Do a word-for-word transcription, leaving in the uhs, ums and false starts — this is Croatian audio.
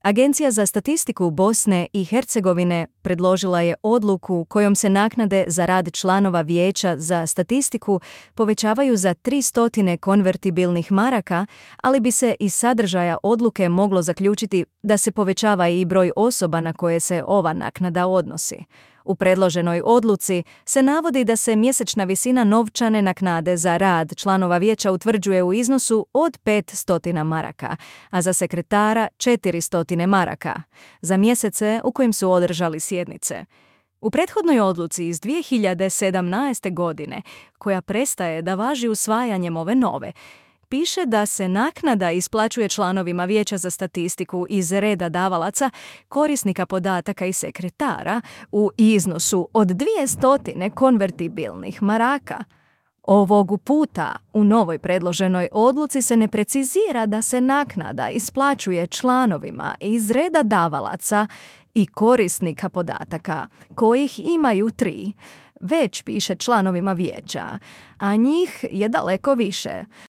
Agencija za statistiku Bosne i Hercegovine predložila je odluku kojom se naknade za rad članova Vijeća za statistiku povećavaju za tristo konvertibilnih maraka, ali bi se iz sadržaja odluke moglo zaključiti da se povećava i broj osoba na koje se ova naknada odnosi. U predloženoj odluci se navodi da se mjesečna visina novčane naknade za rad članova vijeća utvrđuje u iznosu od petsto maraka, a za sekretara četiristo maraka, za mjesece u kojim su održali sjednice. U prethodnoj odluci iz dvije hiljade sedamnaeste. godine, koja prestaje da važi usvajanjem ove nove, piše da se naknada isplaćuje članovima Vijeća za statistiku iz reda davalaca, korisnika podataka i sekretara u iznosu od dvjesto konvertibilnih maraka. Ovog puta u novoj predloženoj odluci se ne precizira da se naknada isplaćuje članovima iz reda davalaca i korisnika podataka, kojih imaju tri, već piše članovima vijeća, a njih je daleko više.